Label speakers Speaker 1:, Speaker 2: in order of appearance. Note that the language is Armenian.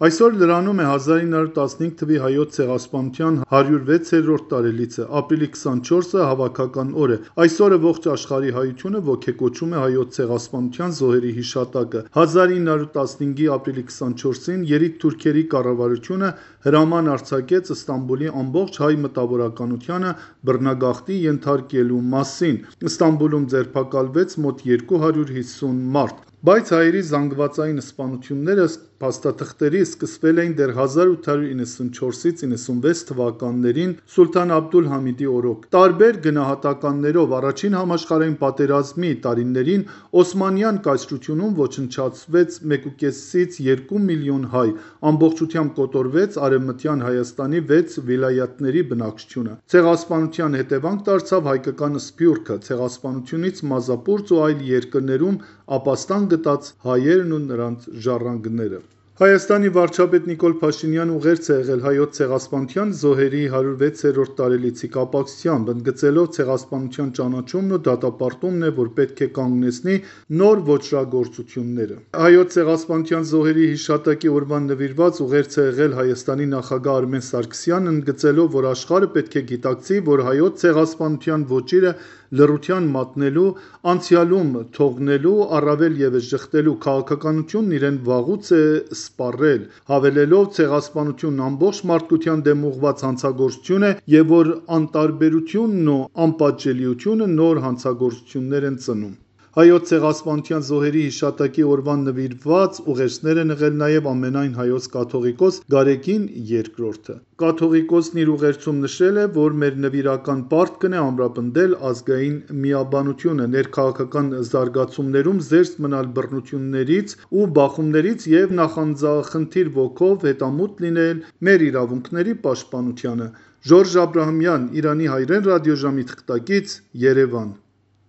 Speaker 1: Այսօր լրանում է 1915 թվի հայոց ցեղասպանության 106-րդ տարելիցը, ապրիլի 24-ը հավաքական օր է։ Այսօրը ողջ աշխարհի հայությունը ոգեկոչում է հայոց ցեղասպանության զոհերի հիշատակը։ 1915-ի ապրիլի 24-ին երիտթուրքերի կառավարությունը հրաման արձակեց Ստամբուլի ամբողջ հայ մտավորականությանը բռնագաղթի ենթարկելու մասին։ Ստամբուլում ձերբակալվեց մոտ 250 մարդ։ Բայց հայերի զանգվածային սպանությունները փաստաթղթերի սկսվել էին դեռ 1894-ից 96 թվականներին Սուլթան Աբդուլ Համիդի օրոք։ Տարբեր գնահատականներով առաջին համաշխարհային պատերազմի տարիներին Օսմանյան կայսրությունում ոչնչացվեց 1.5-ից 2 միլիոն հայ, ամբողջությամբ կոտորվեց Արևմտյան Հայաստանի 6 վիլայաթների բնակչությունը։ Ցեղասպանության հետևանք դարձավ հայկական սփյուռքը, ցեղասպանությունից մազապուրծ ու այլ երկրներում ապաստան գտած հայերն ու նրանց ժառանգները։ Հայաստանի վարչապետ Նիկոլ Փաշինյանը ուղերձ է եղել հայոց ցեղասպանության զոհերի 106-րդ տարելիցի կապակցությամբ, ընդգծելով ցեղասպանության ճանաչումն ու դատապարտումն է, որ պետք է կանգնեցնի նոր ոճրագործությունները։ Հայոց ցեղասպանության զոհերի հիշատակի օրվան նվիրված ուղերձ է եղել Հայաստանի նախագահ Արմեն Սարգսյանն, ընդգծելով, որ աշխարհը պետք է գիտակցի, որ հայոց ցեղասպանության ոճիրը լռության մատնելու, անցյալում թողնելու, առավել ևս ժխտելու քաղաքականությունն իրեն վաղուց է սպառել, հավելելով ցեղասպանությունն ամբողջ մարդկության դեմ ուղղված հանցագործություն է և որ անտարբերությունն ու անպատժելիությունը նոր հանցագործություններ են ծնում։ Հայոց ցեղասպանության զոհերի հիշատակի օրվան նվիրված ուղերձներ են եղել նաև ամենայն հայոց կաթողիկոս Գարեգին II-ը։ Կաթողիկոսն իր ուղերձում նշել է, որ մեր նվիրական պարտքն է ամրապնդել ազգային միաբանությունը, ներքաղաքական զարգացումներում զերծ մնալ բռնություններից ու բախումներից և նախանձախնդիր ոգով հետամուտ լինել մեր իրավունքների պաշտպանությանը։ Ժորժ Աբրահամյան, Իրանի հայրեն ռադիոժամի թղթակից, Երևան։